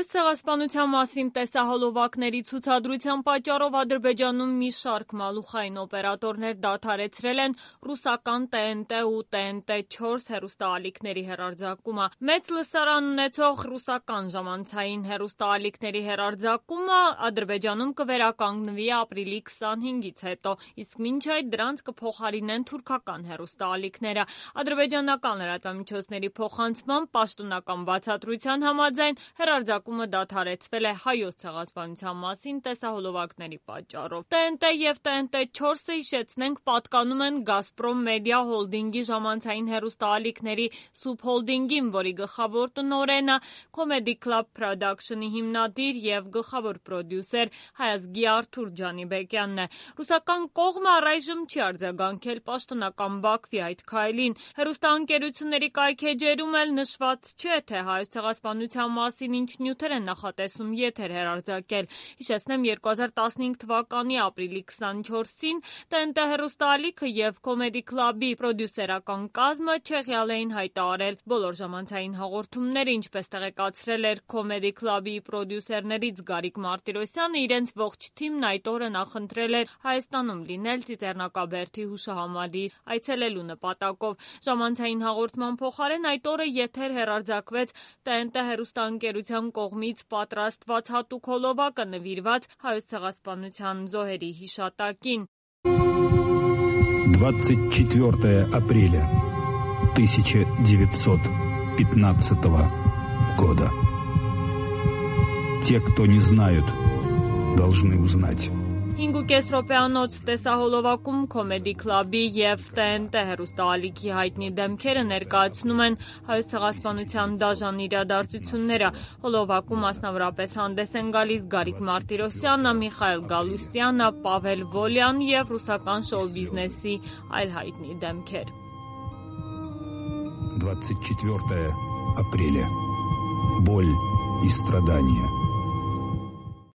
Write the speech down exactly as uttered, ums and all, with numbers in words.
Հայոց ցեղասպանության մասին տեսահոլովակների ցուցադրության պատճառով Ադրբեջանում մի շարք մալուխային օպերատորներ դադարեցրել են ռուսական T N T ու T N T չորս հեռուստաալիքների հեռարձակումը։ Մեծ լսարան ունեցող ռուսական ժամանցային հեռուստաալիքների հեռարձակումը Ադրբեջանում կվերականգնվի ապրիլի քսանհինգից հետո, իսկ մինչ այդ դրանց կփոխարինեն թուրքական հեռուստաալիքները։ Ադրբեջանական լրատվամիջոցների փոխանցմամբ պաշտոնական բացատրության համաձայն հեռարձակումը դադարեցվել է Հայոց ցեղասպանության մասին տեսահոլովակների պատճառով։ T N T և T N T չորսը, հիշեցնենք, պատկանում են Գազպրոմ Մեդիա հոլդինգի ժամանցային հեռուստաալիքների սուբհոլդինգին, որի գլխավոր տնօրենը Comedy Club Production-ի հիմնադիր և գլխավոր պրոդյուսեր հայազգի Արթուր Ջանիբեկյանն է։ Ռուսական կողմը առայժմ չի արձագանքել պաշտոնական Բաքվի այդ քայլին։ Հեռուստաընկերությունների կայքէջերում էլ նշված չէ, թե Հայոց ցեղասպանության մասին ինչ նյութեր են նախատեսում եթեր հեռարձակել։ Հիշեցնեմ, երկու հազար տասնհինգ թվականի ապրիլի քսանչորսին T N T հեռուստաալիքը և Comedy Club-ի պրոդյուսերական կազմը Չեխիալ էին հայտարարել բոլոր ժամանցային հաղորդումները, ինչպես տեղեկացրել էր Comedy Club-ի պրոդյուսերներից Գարիկ Մարտիրոսյանը, իրենց ողջ թիմն այդ օրը նախընտրել էր Հայաստանում լինել Ծիծեռնակաբերդի հուշահամալիր այցելելու նպատակով։ Ժամանցային հաղորդման փոխարեն այդ օրը եթեր հեռարձակվեց T N T հեռուստաընկերության кողմից պատրաստված հատուկ հոլովակը նվիրված Հայոց ցեղասպանության զոհերի հիշատակին։ двадцать четвёртое апреля тысяча девятьсот пятнадцатого года. Те, кто не знают, должны узнать. հինգուկես րոպեանոց տեսահոլովակում Comedy Club-ի և T N T հեռուստաալիքի հայտնի դեմքերը ներկայացնում են Հայոց ցեղասպանության դաժան իրադարձությունները։ Հոլովակում մասնավորապես հանդես են գալիս Գարիկ Մարտիրոսյանը, Միխայել Գալուստյանը, Պավել Վոլյան և ռուսական շոու բիզնեսի այլ հայտնի դեմքեր։ двадцать четвёртое апреля. Боль и страдания.